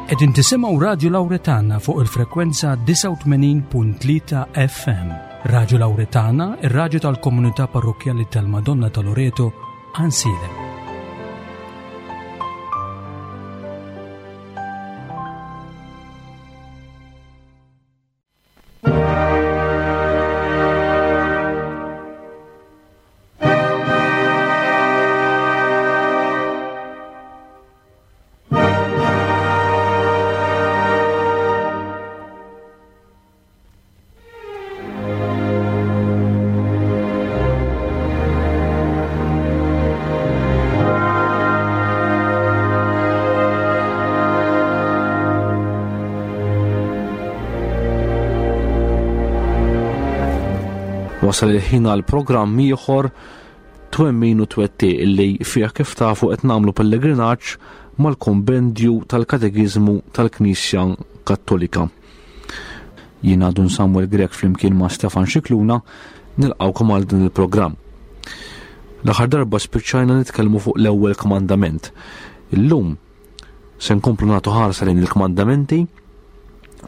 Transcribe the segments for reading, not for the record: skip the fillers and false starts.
Qegħdin tisimgħu Radju Lawretana fuq il-frekwenza 89.3 FM. Radju Lawretana, ir-radju tal-komunità parrokkjali tal-Madonna ta' Loreto, Ansilem. Wasal il-ħin għal programm ieħor twemmin u twetti illi fih kif tafu qed nagħmlu pellegrinaġġ mal-kombendju tal-Katekiżmu tal-Knisja Kattolika. Jiena Dun Samuel Grech flimkien ma' Stefan Xikluna nilqgħukom għal din il-programm. L-aħħar darba spiċċajna nitkellmu fuq l-ewwel kmandament. Illum se nkomplu nagħtu ħarsa lejn il-kmandamenti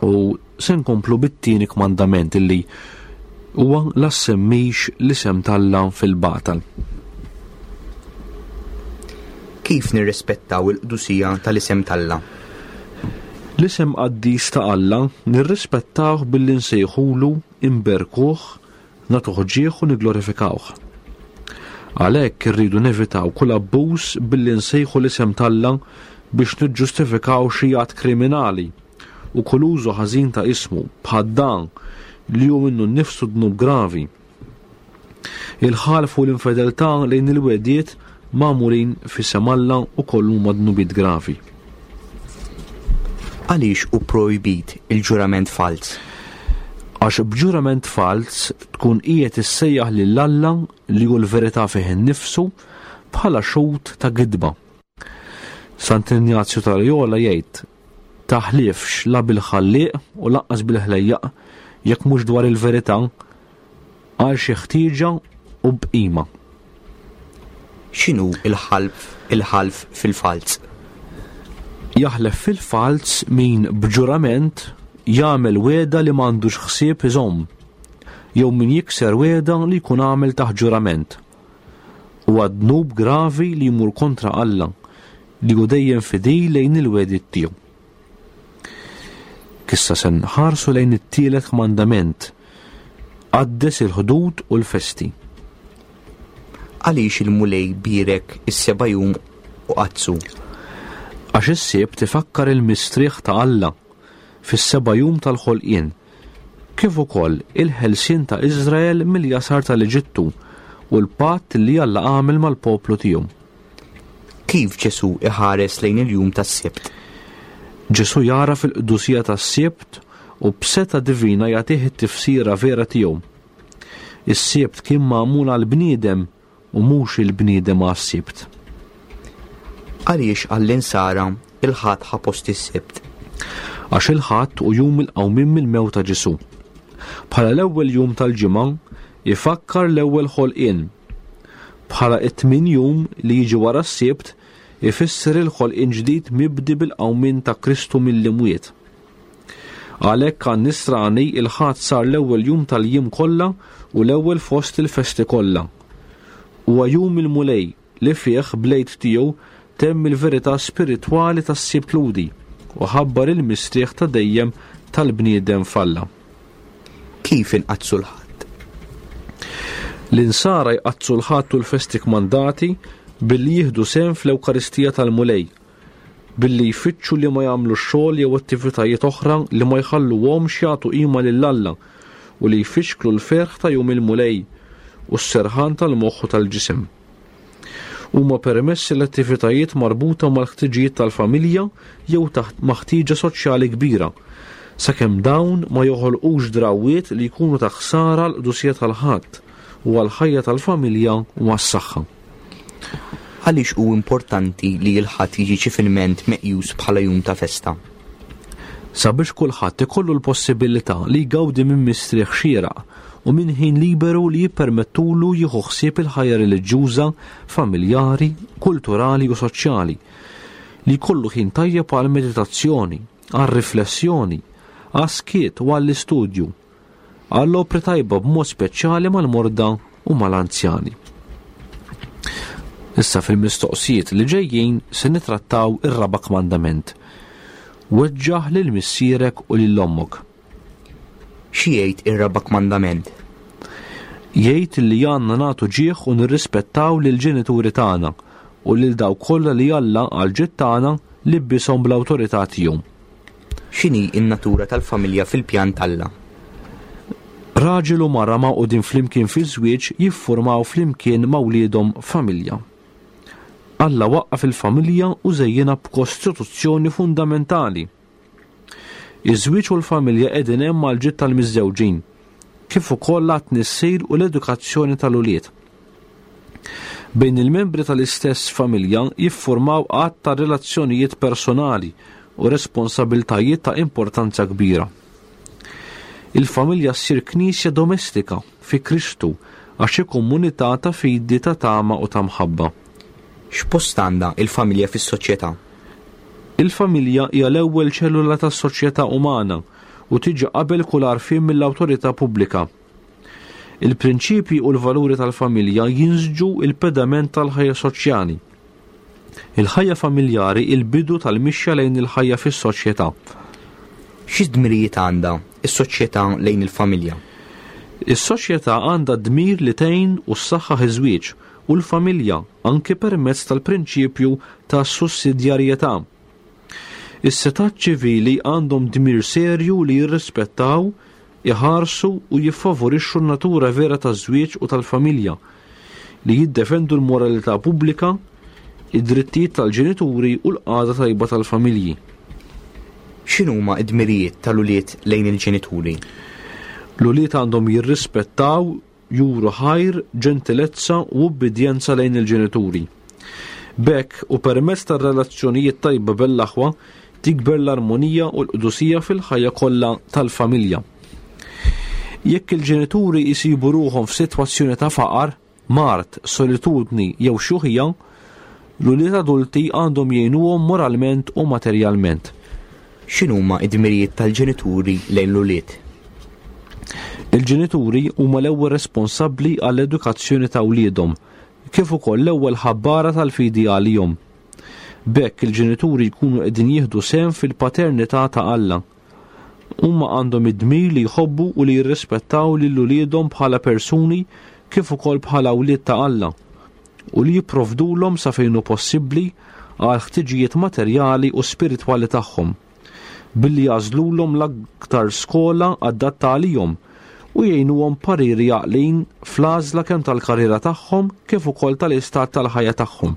u se nkomplu bit-tieni kmandament illi huwa la semmix l-isem t'Alla fil-batal. Kif nirrispettaw il-qdusija tal-isem t'Alla? L-isem qaddis ta' Alla nirrispettawh billi nsejħulu, inberkuh, nagħtuh ġieħ u nigglorifikawh. Għalhekk irridu nevitaw kull abbuż billi nsejħu l-isem t'Alla biex niġġustifikaw xi att kriminali u kull użu ħażin ta' ismu, bħal dan li hu minnu nnifsu dnub gravi. Il-ħalf u l-infedeltà lejn il-wegħdiet magħmulin f'isem Alla wkoll huma dnubiet gravi. Għaliex hu projbit il-ġurament falz? Għax b'ġurament falz tkun qiegħed issejjaħ lil Alla li hu l-verità fih innifsu bħala xhud ta' gidba. Sant'Injazju ta' Loyola jgħid, Taħlifx la bil-Ħallieq u lanqas bil-ħlejjaq jekk mhux dwar il-verità, għal xi ħtieġa u b'qima. X'inhu l-ħalf il-ħalf fil-falz? Jaħlef fil-falz min b'ġurament jagħmel wegħda li m'għandux ħsieb iżomm, jew min jikser wegħda li jkun għamel taħt ġurament. Huwa dnub gravi li jmur kontra Alla, li hu dejjem fidil lejn il-wegħdiet tiegħu. Issa se nħarsu lejn it-tielet kmandament, qaddes il-ħdud u l-festi. Għaliex il-Mulej bierek is-seba' jum u qaddsu? Għax is-Sibt ifakkar il-mistrieħ ta' Alla fis-seba' jum tal-ħolqien, kif ukoll il-ħelsien ta' Iżrael mill-jasar tal-Eġittu u l-patt li Alla għamel mal-poplu tiegħu. Kif Ġesù iħares lejn il-jum tas-Sibt? Ġesù jagħraf il-qdusija tas-Sibt u b'setgħa divina jagħtih it-tifsira vera tiegħu. Is-Sibt kien magħmul għall-bniedem u mhux il-bniedem għas-Sibt. Għaliex għall-Insara il-Ħadd ħa post is-Sibt? Għax il-Ħadd hu jum il-qawmien mill-mewt ta' Ġesù. Bħala l-ewwel jum tal-ġimgħa ifakkar l-ewwel ħolqien. Bħala t-tmien jum li jiġi wara s-Sibt ifisser il-ħolqien ġdid mibdi bil-qawmien ta' Kristu mill-imwiet. Għalhekk għan-Nisrani il-Ħadd sar l-ewwel jum tal-jiem kollha u l-ewwel fost il-festi kollha. Huwa jum il-Mulej li fih bl-Għid tiegħu temm il-verità spiritwali tas-Sibt Lhudi u ħabbar il-mistrieħ ta' dejjem tal-bniedem f'Alla. Kif inqaddsu l-Ħadd? L-Insara jqaddsu l-Ħadd u l-festi kmandati billi jieħdu sehem fl-Ewkaristija tal-Mulej, billi jfittxu li ma jagħmlux xogħol jew attivitajiet oħra li ma jħalluhomx jagħtu qima lil Alla u li jfixklu l-ferħ ta' jum il-Mulej u s-serħan tal-moħħ u tal-ġisem. Huma permessi l-attivitajiet marbuta mal-ħtiġijiet tal-familja jew taħt ma' ħtieġa soċjali kbira, sakemm dawn ma joħolqux drawwiet li jkunu ta' ħsara għall-qdusija tal-Ħadd u għall-ħajja tal-familja u għas-saħħa. Għaliex hu importanti li l-Ħadd jiġi ċivilment meqjus bħala jum ta' festa? Sabiex kulħadd ikollu l-possibilità li jgawdi minn mistrieħ xieraq u minn ħin liberu li jippermettulu jieħu ħsieb il-ħajja reliġjuża, familjari, kulturali u soċjali. li jkollu ħin tajjeb għall-meditazzjoni, għar-riflessjoni, għas-skiet u għall-istudju, għall-opri tajba b'mod speċjali mal-morda u mal-anzjani. Issa fil-mistoqsijiet li ġejjin se nitrattaw ir-raba' kmandament. Weġġaħ lil missierek u lil ommok. Xi jgħid ir-raba' kmandament? Jgħid li għandna nagħtu ġieħ u nirrispettaw lill-ġenituri tagħna u lil dawk kollha li Alla għall-ġid tagħna libbishom bl-awtorità tiegħu. X'inhi n-natura tal-familja fil-pjan t'Alla? Raġel u mara magħqudin flimkien fiż-żwieġ jiffurmaw flimkien ma' wliedhom familja. Alla waqqaf il-familja u żejjinha b'kostituzzjoni fundamentali. Iż-żwieġ u l-familja qegħdin hemm għall-ġid tal-miżżewġin, kif ukoll għat-tnissil u l-edukazzjoni tal-ulied. Bejn il-membri tal-istess familja jiffurmaw għadd ta' relazzjonijiet personali u responsabiltajiet ta' importanza kbira. Il-familja ssir knisja domestika fi Kristu għax hi komunità ta' fidi, ta' tama u ta' mħabba. X'post għandha l-familja fis-soċjetà? Il-familja hija l-ewwel ċellula tas-soċjetà umana u tiġi qabel kull għarfien mill-awtorità pubblika. Il-prinċipji u l-valuri tal-familja jinsġu l-pedament tal-ħajja soċjali. Il-ħajja familjari hi l-bidu tal-mixja lejn il-ħajja fis-soċjetà. Xi dmirijiet għandha s-soċjetà lejn il-familja? Is-soċjetà għandha d-dmir li tgħin u ssaħħaħ iż-żwieġ u l-familja anki permezz tal-prinċipju ta' sussidjarjetà. Is-setgħat ċivili għandhom dmir serju li jirrispettaw, iħarsu u jiffavorixxu n-natura vera taż-żwieġ u tal-familja, li jiddefendu l-moralità pubblika, id-drittijiet tal-ġenituri u l-qagħda tajba tal-familji. X'inhuma d-dmirijiet tal-ulied lejn il-ġenituri? L-ulied għandhom jirrispettaw, juru ħajr, ġentilezza u ubbidjenza lejn il-ġenituri. B'hekk, u permezz tar-relazzjonijiet tajba bejn l-aħwa, tikber l-armonija u l-qdusija fil-ħajja kollha tal-familja. Jekk il-ġenituri jsibu ruħhom f'sitwazzjoni ta' faqar, mard, solitudni jew xjuħija, l-ulied adulti għandhom jgħinuhom moralment u materjalment. X'inhuma d-dmirijiet tal-ġenituri lejn l-ulied? Il-ġenituri huma l-ewwel responsabbli għall-edukazzjoni ta' wliedhom, kif ukoll l-ewwel ħabbara tal-fidi għalihom. B'hekk il-ġenituri jkunu qegħdin jieħdu sehem fil-paternità ta' Alla. Huma għandhom id-dmir li jħobbu u li jirrispettaw lil uliedhom bħala persuni kif ukoll bħala wlied ta' Alla, u li jipprovdulhom sa fejn hu possibbli għall-ħtiġijiet materjali u spiritwali tagħhom, billi jagħżlulhom l-aktar skola adatta għalihom u jgħinuhom b'pariri għaqlin fl-għażla kemm tal-karriera tagħhom kif ukoll tal-istat tal-ħajja tagħhom.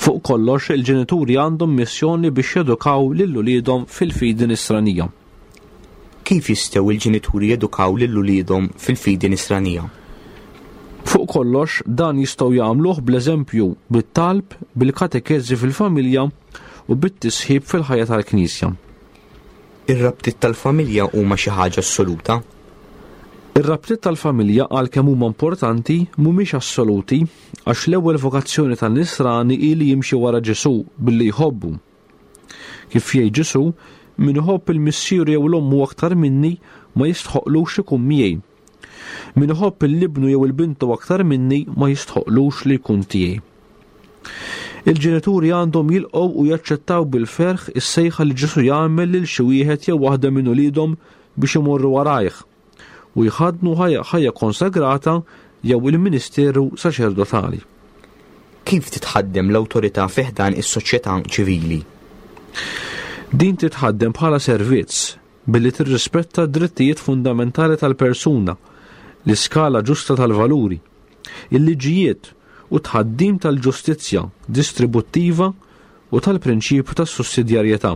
Fuq kollox, il-ġenituri għandhom missjoni biex jedukaw lil uliedhom fil-fidi nisranija. Kif jistgħu l-ġenituri jedukaw lil uliedhom fil-fidi nisranija? Fuq kollox, dan jistgħu jagħmluh bl-eżempju, bit-talb, bil-katekeżi fil-familja u bit-tisħib fil-ħajja tal-Knisja. Ir-rabtiet tal-familja huma xi ħaġa assoluta? Ir-rabtiet tal-familja għalkemm huma importanti mhumiex assoluti għax l-ewwel vokazzjoni tan-nisrani hi li jimxi wara Ġesù billi jħobbu. Kif jgħid Ġesù, min iħobb il-missieru jew l-ommu aktar minni ma jistħoqlux ikun miegħi. Min iħobb il-ibnu jew il-bintu aktar minni ma jistħoqlux li jkun tiegħi. Il-ġenituri għandhom jilqgħu u jaċċettaw bil-ferħ is-sejħa li Ġesù jagħmel lil xi wieħed jew waħda minn uliedhom biex imorru warajh u jħaddnu ħajja konsagrata jew il-ministeru saċerdotali. Kif titħaddem l-awtorità fi ħdan is-soċjetà ċivili? Din titħaddem bħala servizz billi tirrispetta d-drittijiet fundamentali tal-persuna, l-iskala ġusta tal-valuri, il-liġijiet u t-tħaddim tal-ġustizzja distributtiva u tal-prinċipju tas-sussidjarjetà.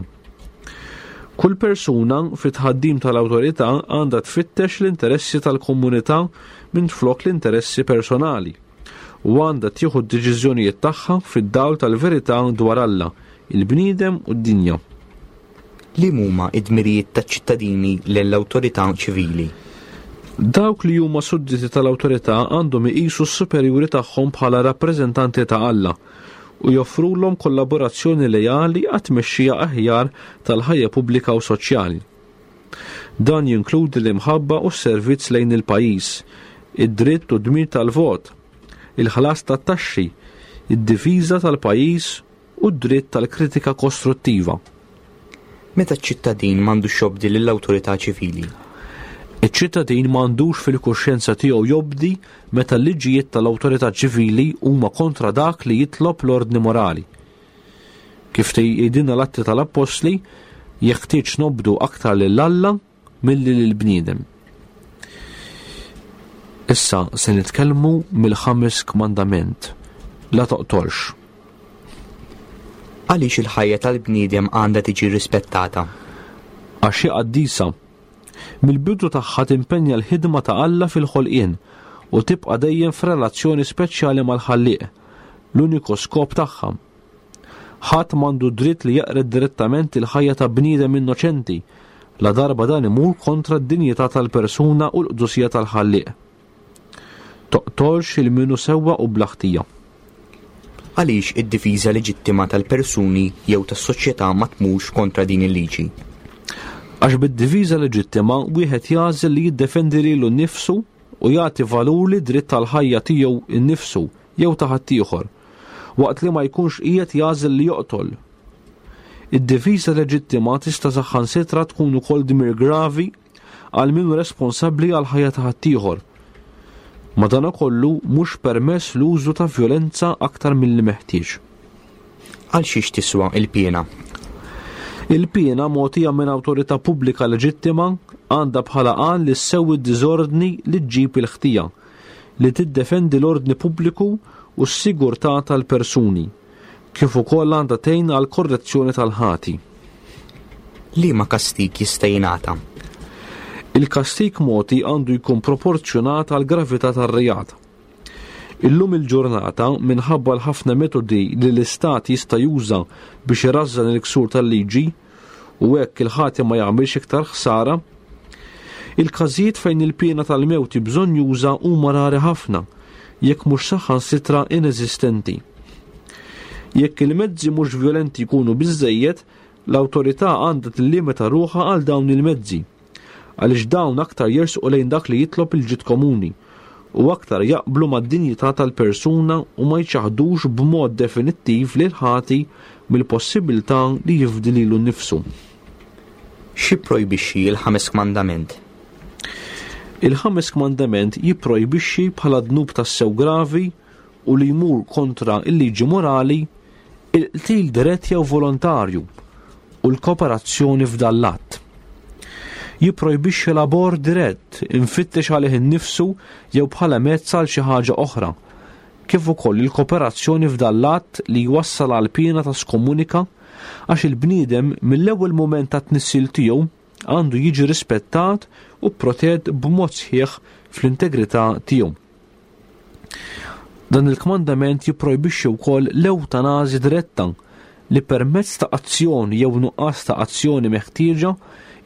Kull persuna fit-tħaddim tal-awtorità għandha tfittex l-interessi tal-komunità minflok l-interessi personali u għandha tieħu d-deċiżjonijiet tagħha fid-dawl tal-verità dwar Alla, il-bniedem u d-dinja. Liem huma d-dmirijiet taċ-ċittadini lejn l-awtorità ċivili? Dawk li huma sudditi tal-awtorità għandhom iqisu s-superjuri tagħhom bħala rappreżentanti ta' Alla. u joffrulhom kollaborazzjoni leali għat-tmexxija aħjar tal-ħajja pubblika u soċjali. Dan jinkludi l-imħabba u s-servizz lejn il-pajjiż, id-dritt u d-dmir tal-vot, il-ħlas tat-taxxi, id-difiża tal-pajjiż u d-dritt tal-kritika kostruttiva. Meta ċ-ċittadin m'għandux jobdi lill-awtorità ċivili? Iċ-ċittadin m'għandux fil-kuxjenza tiegħu jobdi meta l-liġijiet tal-awtorità ċivili huma kontra dak li jitlob l-ordni morali. Kif tgħidilna l-Atti tal-Appostli, jeħtieġ nobdu aktar lil Alla milli lill-bniedem. Issa se nitkellmu mill-ħames kmandament, la toqtolx. Għaliex il-ħajja tal-bniedem għandha tiġi rispettata? Għax hi qaddisa. Mill-bidu tagħha timpenja l-ħidma ta' Alla fil-ħolqien u tibqa' dejjem f'relazzjoni speċjali mal-Ħallieq, l-uniku skop tagħha. Ħadd m'għandu dritt li jeqred direttament il-ħajja ta' bniedem innoċenti, ladarba dan imur kontra d-dinjità tal-persuna u l-qdusija tal-Ħallieq. Toqtolx 'il min hu sewwa u bla ħtija. Għaliex id-difiża leġittima tal-persuni jew tas-soċjetà ma tmurx kontra din il-liġi? Għax bid-difiża leġittima wieħed jagħżel li jiddefendi lilu nnifsu u jagħti valur lid-dritt għall-ħajja tiegħu nnifsu jew ta' ħaddieħor, waqt li ma jkunx qiegħed jagħżel li joqtol. Id-difiża leġittima tista' saħansitra tkun ukoll dmir gravi għal min hu responsabbli għall-ħajja ta' ħaddieħor. Madankollu mhux permess l-użu ta' vjolenza aktar milli meħtieġ. Għal xiex tiswa il-piena? Il-piena mogħtija minn awtorità pubblika leġittima għandha bħala għan li ssewwi d-diżordni li ġġib il-ħtija li tiddefendi l-ordni pubbliku u s-sigurtà tal-persuni, kif ukoll għandha tgħin għall-korrezzjoni tal-ħati. Liema kastig jista' jingħata? Il-kastig mogħti għandu jkun proporzjonat għall-gravità tar-reat. Illum il-ġurnata, minħabba l-ħafna metodi li l-Istat jista' juża biex irażżan il-ksur tal-liġi, u hekk il-ħati ma jagħmilx iktar ħsara. Il-każijiet fejn il-piena tal-mewt hi bżonnjuża huma rari ħafna, jekk mhux saħansitra ineżistenti. Jekk il-mezzi mhux vjolenti jkunu biżżejjed, l-awtorità għandha tillimita ruħha għal dawn il-mezzi. għaliex dawn aktar jersqu lejn dak li jitlob il-ġid komuni u aktar jaqblu mad-dinjità tal-persuna u ma jċaħħdux b'mod definittiv lill-ħati mill-possibilità li jifdi lilu nnifsu. X'jipprojbixxi l-ħames kmandament? Il-ħames kmandament jipprojbixxi bħala dnub tassew gravi u li jmur kontra l-liġi morali il-qtil dirett jew volontarju u l-kooperazzjoni f'dan l-att. Jipprojbixxi l-abort dirett imfittex għalih innifsu jew bħala mezz għal xi ħaġa oħra, kif ukoll il-kooperazzjoni f'dan l-att li jwassal għal piena ta' skomunika għax il-bniedem mill-ewwel mument tat-tnissil tiegħu għandu jiġi rispettat u protett b'mod sħiħ fl-integrità tiegħu. Dan il-kmandament jipprojbixxi wkoll l-ewtanażi diretta li permezz ta' azzjoni jew nuqqas ta' azzjoni meħtieġa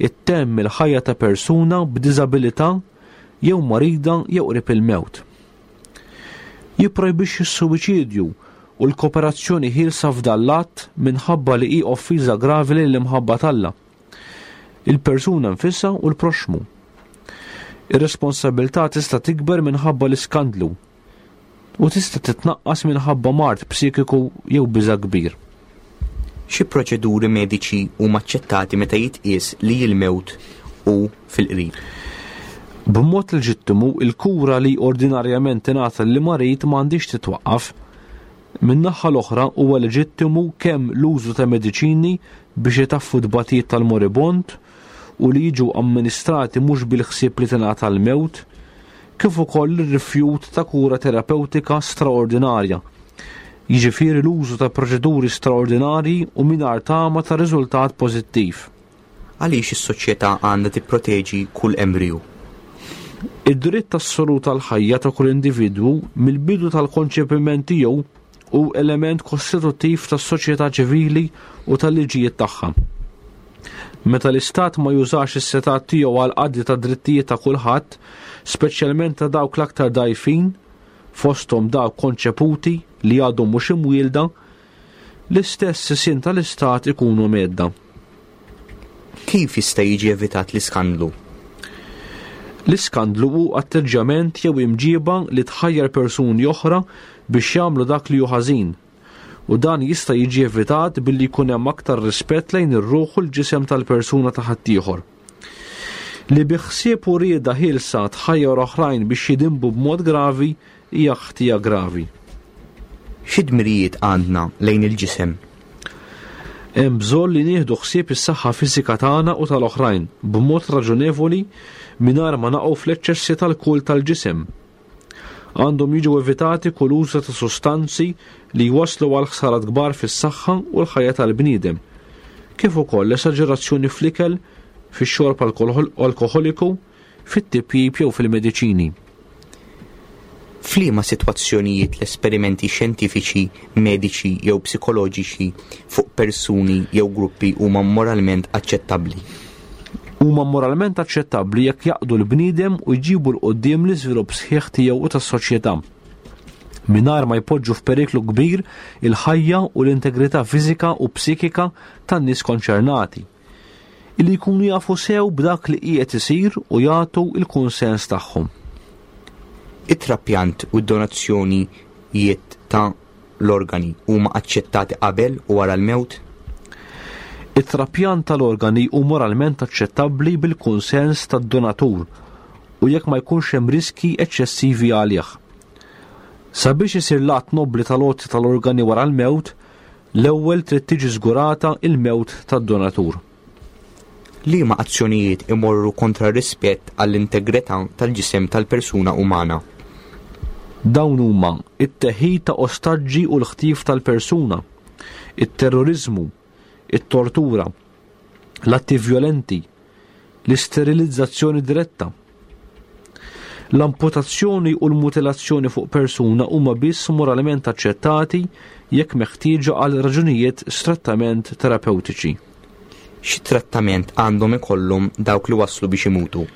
ittemm il-ħajja ta' persuna b'diżabilità jew marida jew qrib il-mewt. Jipprojbixxi s-suwiċidju u l-kooperazzjoni ħielsa f'dan l-att minħabba li hi offiża gravi lill-imħabba t'Alla. il-persuna nfisha u l-proxxmu. Ir-responsabilità tista' tikber minħabba l-iskandlu u tista' titnaqqas minħabba mard psikiku jew biża' kbir. Xi proċeduri mediċi huma aċċettati meta jitqies li l-mewt hu fil-qrib? B'mod leġittimu, il-kura li ordinarjament tingħata lill-marid ma għandhiex titwaqqaf. Min-naħa l-oħra huwa leġittimu kemm l-użu ta' mediċini biex itaffu t-tbatijiet tal-moribond u li jiġu amministrati mhux bil-ħsieb li tingħata l-mewt, kif ukoll ir-rifjut ta' kura terapewtika straordinarja, jiġifieri l-użu ta' proċeduri straordinarji u mingħajr tama ta' riżultat pożittiv. Għaliex is-soċjetà għandha tipproteġi kull embriju? Id-dritt assolut għall-ħajja ta' kull individwu mill-bidu tal-konċepiment tiegħu hu element kostituttiv tas-soċjetà ċivili u tal-liġijiet tagħha. Meta l-Istat ma jużax is-setgħat tiegħu għall-qadi tad-drittijiet ta' kulħadd, speċjalment ta' dawk l-aktar dgħajfin, fosthom dawk konċeputi li għadhom mhux imwielda, l-istess sisien tal-istat ikunu mhedda. Kif jista' jiġi evitat l-iskandlu? L-iskandlu hu atteġġjament jew imġiba li tħajjar persuni oħra biex jagħmlu dak li hu ħażin, u dan jista' jiġi evitat billi jkun hemm aktar rispett lejn ir-ruħ u l-ġisem tal-persuna ta' ħaddieħor. Li bi ħsieb u rieda ħielsa tħajjar oħrajn biex jidinbu b'mod gravi hija ħtija gravi. Xi dmirijiet għandna lejn il-ġisem? Hemm bżonn li nieħdu ħsieb is-saħħa fiżika tagħna u tal-oħrajn b'mod raġunevoli mingħajr ma naqgħu fl-eċċessi tal-kult tal-ġisem. Għandhom jiġu evitati kull użu ta' sustanzi li jwasslu għal ħsarat kbar fis-saħħa u l-ħajja tal-bniedem, kif ukoll l-esaġerazzjoni fl-ikel, fix-xorb alkoħoliku, fit-tipjip jew fil-mediċini. F'liema sitwazzjonijiet l-esperimenti xjentifiċi, mediċi jew psikoloġiċi fuq persuni jew gruppi huma moralment aċċettabbli? Huma moralment aċċettabbli jekk jaqdu l-bniedem u jġibu 'l quddiem l-iżvilupp sħiħ tiegħu u tas-soċjetà, mingħajr ma jpoġġu f'periklu kbir il-ħajja u l-integrità fiżika u psikika tan-nies konċernati, illi jkunu jafu sew b'dak li qiegħed isir u jagħtu l-kunsens tagħhom. It-trapjant u d-donazzjonijiet ta' l-organi huma aċċettati qabel u wara l-mewt? It-trapjant tal-organi hu moralment aċċettabbli bil-kunsens tad-donatur u jekk ma jkunx hemm riskji eċċessivi għalih. Sabiex isir l-att nobbli tal-għoti tal-organi wara l-mewt, l-ewwel trid tiġi żgurata l-mewt tad-donatur. Liema azzjonijiet imorru kontra r-rispett għall-integrità tal-ġisem tal-persuna umana? Dawn huma, it-teħid ta' ostaġġi u l-ħtif tal-persuna, it-terroriżmu, it-tortura, l-atti vjolenti, l-isterilizzazzjoni diretta. L-amputazzjoni u l-mutilazzjoni fuq persuna huma biss moralment aċċettati jekk meħtieġa għal raġunijiet strettament terapewtiċi. Xi trattament għandhom ikollhom dawk li waslu biex imutu?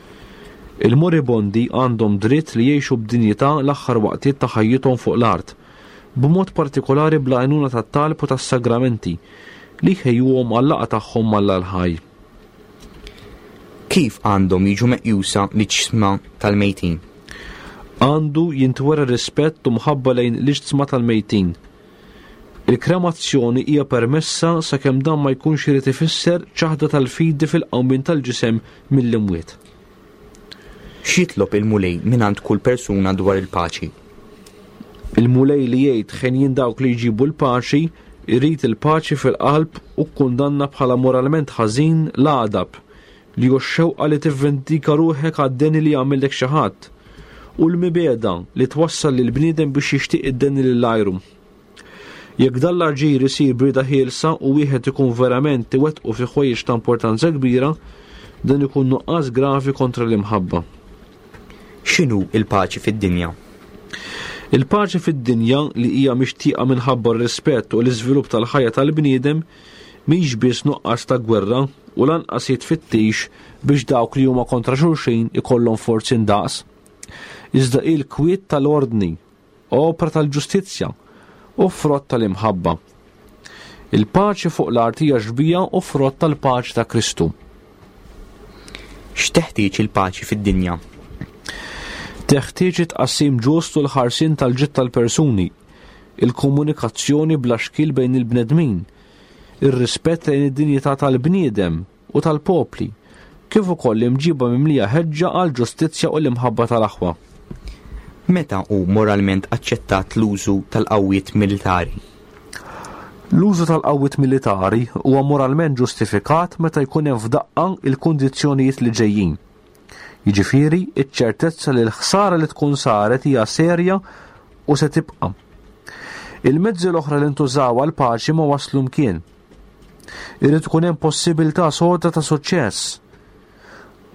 Il-moribondi għandhom dritt li jgħixu b'dinjità l-aħħar waqtiet ta' ħajjithom fuq l-art, b'mod partikolari bl-għajnuna tat-talb u tas-sagramenti, li jħejjuhom għal-laqgħa tagħhom m'Alla l-ħaj. Kif għandhom jiġu meqjusa l-iġsma tal-mejtin? Għandu jintwera rispett u mħabba lejn l-iġsma tal-mejtin. Il-kremazzjoni hija permessa sakemm dan ma jkunx irid ifisser ċaħda tal-fidi fil-qawmien tal-ġisem mill-imwiet. X'jitlob il-Mulej mingħand kull persuna dwar il-paċi? Il-Mulej li jgħid ħenjin dawk li jġibu l-paċi, irid il-paċi fil-qalb u kkundanna bħala moralment ħażin l-għadab, li hu x-xewqa li tivvendika ruħek għad-deni li għamillek xi ħadd, u l-mibegħda li twassal lill-bniedem biex jixtieq id-deni lil għajru. Jekk dan l-aġir isir b'rieda ħielsa u wieħed ikun verament iwettqu fi ħwejjeġ ta' importanza kbira, dan ikun nuqqas gravi kontra l-imħabba. X'inhu l-paċi fid-dinja? Il-paċi fid-dinja li hija mixtieqa minħabba r-rispett u l-iżvilupp tal-ħajja tal-bniedem mhix biss nuqqas ta' gwerra u lanqas hi tfittix biex dawk li huma kontra xulxin ikollhom forzi ndaqs. Iżda hi l-kwiet tal-ordni opra tal-ġustizzja u frott tal-imħabba. Il-paċi fuq l-art hija xbieha u frott tal-paċi ta' Kristu. X'teħtieġ il-paċi fid-dinja? Teħtieġ it-tqassim ġust u l-ħarsien tal-ġid tal-persuni, il-komunikazzjoni bla xkiel bejn il-bnedmin, ir-rispett lejn id-dinjità tal-bniedem, u tal-popli, kif ukoll imġiba mimlija ħeġġa għall-ġustizzja u l-imħabba tal-aħwa. Meta hu moralment aċċettat l-użu tal-qawwiet militari? L-użu tal-qawwiet militari huwa moralment ġustifikat meta jkun hemm f'daqqa l-kundizzjonijiet li ġejjin. Jiġifieri, iċ-ċertezza li l-ħsara li tkun saret hija serja u se tibqa'. Il-mezzi l-oħra li ntużaw għall-paċi ma waslu mkien. Irid ikun hemm possibilità soda ta' suċċess.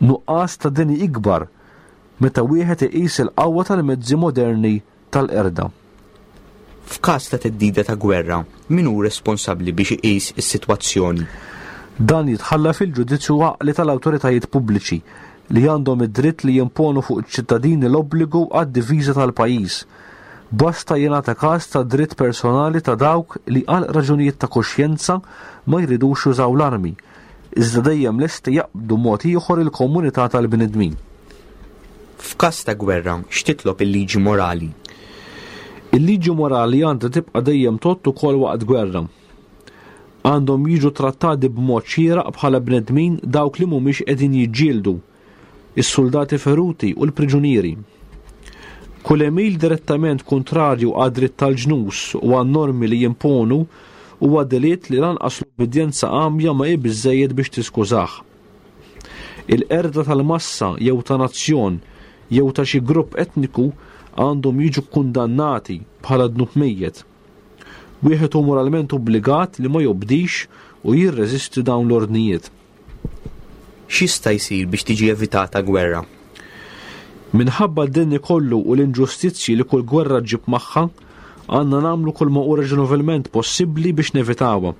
Nuqqas ta' deni ikbar meta wieħed iqis il-qawwa tal-mezzi moderni tal-qerda. F'każ ta' theddida ta' gwerra, min hu responsabbli biex iqis is-sitwazzjoni? Dan jitħalla fil-ġudizzju għaqli tal-awtoritajiet pubbliċi li għandhom id-dritt li jimponu fuq iċ-ċittadini l-obbligu għad-difiża tal-pajjiż. Basta jingħata każ tad-dritt personali ta' dawk li għal raġunijiet ta' kuxjenza ma jridux jużaw l-armi, iżda dejjem lesti jaqbdu mod ieħor il-komunità tal-bnedmin. F'każ ta' gwerra, x'titlob il-liġi morali? Il-liġi morali għandha tibqa' dejjem tgħodd ukoll waqt gwerra. Għandhom jiġu trattati b'mod xieraq bħala bnedmin dawk li mhumiex qegħdin jiġġieldu, is-suldati feruti u l-priġunieri. Kull għemil direttament kuntrarju għad-dritt tal-ġnus u għan-normi li jimponu huwa delitt li lanqas l-ubbidjenza għamja ma hi biżżejjed biex tiskużah. Il-qerda tal-massa jew ta' nazzjon jew ta' xi grupp etniku għandhom jiġu kkundannati bħala dnub mejjet. Wieħed hu moralment obbligat li ma jobdix u jirreżisti dawn l-ordnijiet. X'jista' jsir biex tiġi evitata gwerra? Minħabba d-deni kollu u l-inġustizzji li kull gwerra ġġib magħha, għandna nagħmlu kull ma hu raġonevolment possibbli biex nevitawha.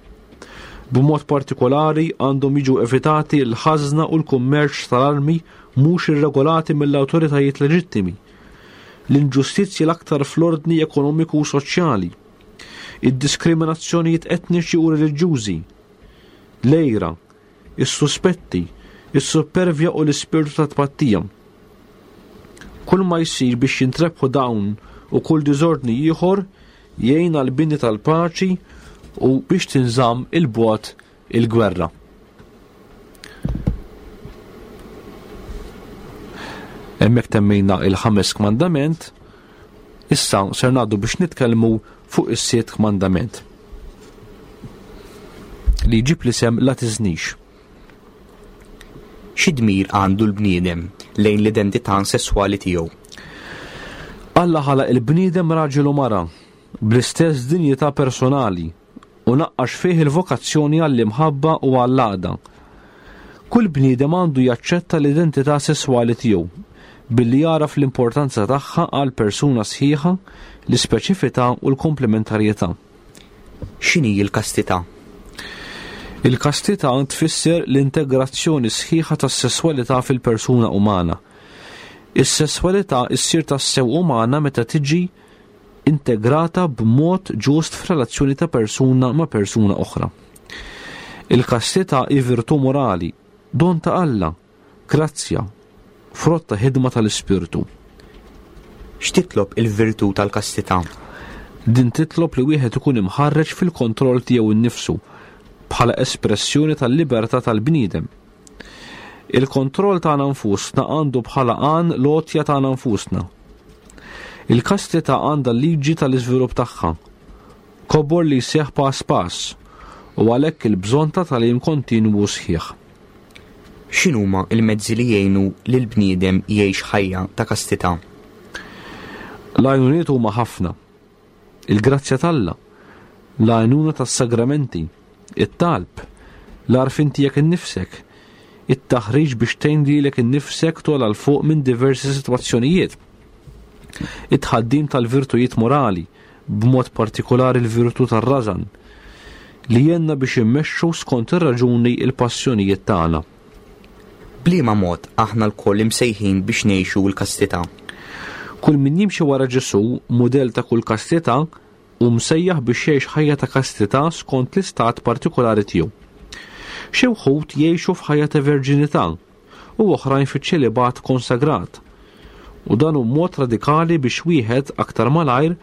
B'mod partikolari għandhom jiġu evitati l-ħażna u l-kummerċ tal-armi mhux irregolati mill-awtoritajiet leġittimi, l-inġustizzji l-aktar fl-ordni ekonomiku u soċjali, id-diskriminazzjonijiet etniċi u reliġjużi, l-għira, is-suspetti, is-suppervja u l-ispirtu ta' tpattija. Kull ma jsir biex jintrebħu dawn u kull diżordni ieħor jgħin għall-bini tal-paċi u biex tinżamm 'il bogħod il-gwerra. Hemmhekk temmejna il-ħames kmandament, issa ser ngħaddu biex nitkellmu fuq is-sitt kmandament. Li jġib l-isem la tiżnix. Xi dmir għandu l-bniedem lejn l-identità sesswali tiegħu? Alla ħalaq il-bniedem raġel u mara bl-istess dinjità personali u naqqax fih il-vokazzjoni għall-imħabba u għall-għaqda. Kull bniedem għandu jaċċetta l-identità sesswali tiegħu billi jagħraf l-importanza tagħha għal persuna sħiħa, l-ispeċifità u l-komplementarjetà. X'inhi l-kastità? Il-kastità tfisser l-integrazzjoni sħiħa tas-sesswalità fil-persuna umana. Is-sesswalità ssir tassew umana meta tiġi integrata b'mod ġust f'relazzjoni ta' persuna ma' persuna oħra. Il-kastità hi virtù morali, don ta' Alla, grazzja, frott ta' ħidma tal-Ispirtu. X'titlob il-virtù tal-kastità? Din titlob li wieħed ikun imħarreġ fil-kontroll tiegħu nnifsu bħala espressjoni tal-libertà tal-bniedem. Il-kontroll tagħna nfusna għandu bħala għan l-għotja tagħna nfusna. Il-kastità għandha l-liġi tal-iżvilupp tagħha, kobor li jseħħ pass pass, u għalhekk il-bżonn ta' tagħlim kontinwu sħiħ. X'inhuma l-mezzi li jgħinu lill-bniedem jgħix ħajja ta' kastità? L-għajnuniet huma ħafna. Il-grazzja t'Alla, l-għajnuna tas-sagramenti, it-talb, l-għarfien tiegħek innifsek, it-taħriġ biex tgħin lilek innifsek togħla 'l fuq minn diversi sitwazzjonijiet, it-tħaddim tal-virtujiet morali, b'mod partikolari l-virtù tar-rażan, li jgħinna biex immexxu skont ir-raġuni l-passjonijiet tagħna. B'liema mod aħna lkoll imsejħin biex ngħixu l-kastità? Kull min jimxi wara Ġesù, mudell ta' kull kastità, hu msejjaħ biex jgħix ħajja ta' kastità skont l-istat partikolari tiegħu. Xi wħud jgħixu f'ħajja ta' verġinità u oħrajn fiċ-ċelibat konsagrat. U dan hu mod radikali biex wieħed aktar malajr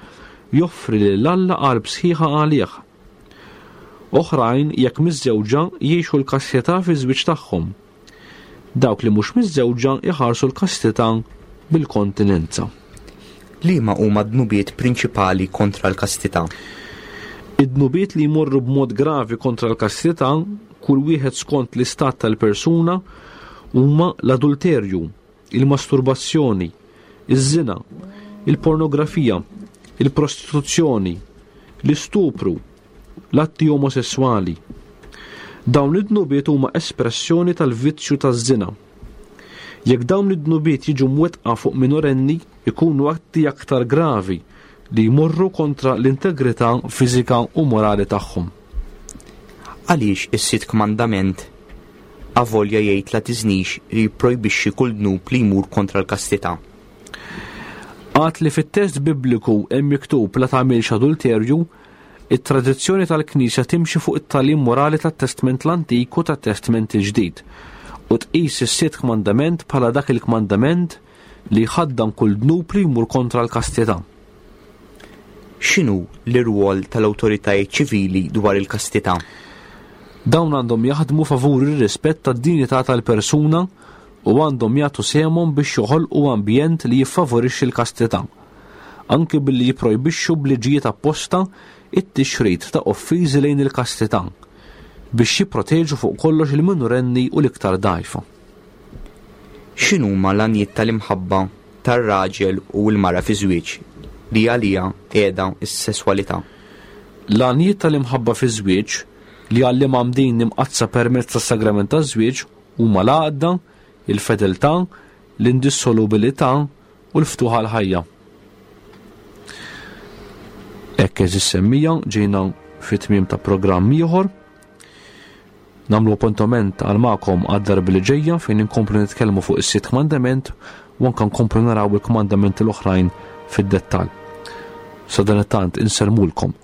joffri lil Alla qalb sħiħa għalih. Oħrajn, jekk miżżewġa, jgħixu l-kastità fiż-żwieġ tagħhom. Dawk li mhux miżżewġa jħarsu l-kastità bil-kontinenza. Liema huma d-dnubiet prinċipali kontra l-kastità? Id-dnubiet li jmorru b'mod gravi kontra l-kastità, kull wieħed skont l-istat tal-persuna, huma l-adulterju, il-masturbazzjoni, iż-żina, il-pornografija, il-prostituzzjoni, l-istupru, l-atti omosesswali. Dawn id-dnubiet huma espressjoni tal-vizzju taż-żina. Jekk dawn id-dnubiet jiġu mwettqa fuq minorenni, ikunu atti aktar gravi li jmorru kontra l-integrità fiżika u morali tagħhom. Għaliex is-sitt kmandament avolja jgħid la tiżnix li jipprojbixxi kull dnub li jmur kontra l-kastità? Għad li fit-test Bibliku hemm miktub la tagħmilx adulterju, it-tradizzjoni tal-Knisja timxi fuq it-tagħlim morali tat-Testment l-Antik u tat-Testment il-Ġdid u tqis is-sitt kmandament bħala dak il-kmandament li jħaddan kull dnub li jmur kontra l-kastità. X'inhu l-irwol tal-awtoritajiet ċivili dwar il-kastità? Dawn għandhom jaħdmu favur ir-rispett tad-dinjità tal-persuna u għandhom jagħtu sehemhom biex joħolqu ambjent li jiffavorixxi l-kastità, anki billi jipprojbixxu b'liġijiet apposta t-tixrid ta' offiżi lejn il-kastità, biex jipproteġu fuq kollox il-minorenni u l-iktar dgħajfa. X'inhuma l-għanjiet tal-imħabba tar-raġel u l-mara fiż-żwieġ li għaliha qiegħda s-sesswalità? L-għanjiet tal-imħabba fiż-żwieġ, li għall-imgħammdin imqaddsa permezz tas-sagrament taż-żwieġ, huma l-għaqda, il-fedeltà, l-indissolubilità u l-ftuħ għall-ħajja. Hekk għeżież semmija ġejna fi tmiem ta' programm ieħor. Nagħmlu appuntament għal magħkom għad-darba li ġejja fejn inkomplu nitkellmu fuq is-sitt kmandament u anke nkomplu naraw il-kmandamenti l-oħrajn fid-dettall. Sadanittant insellmulkom.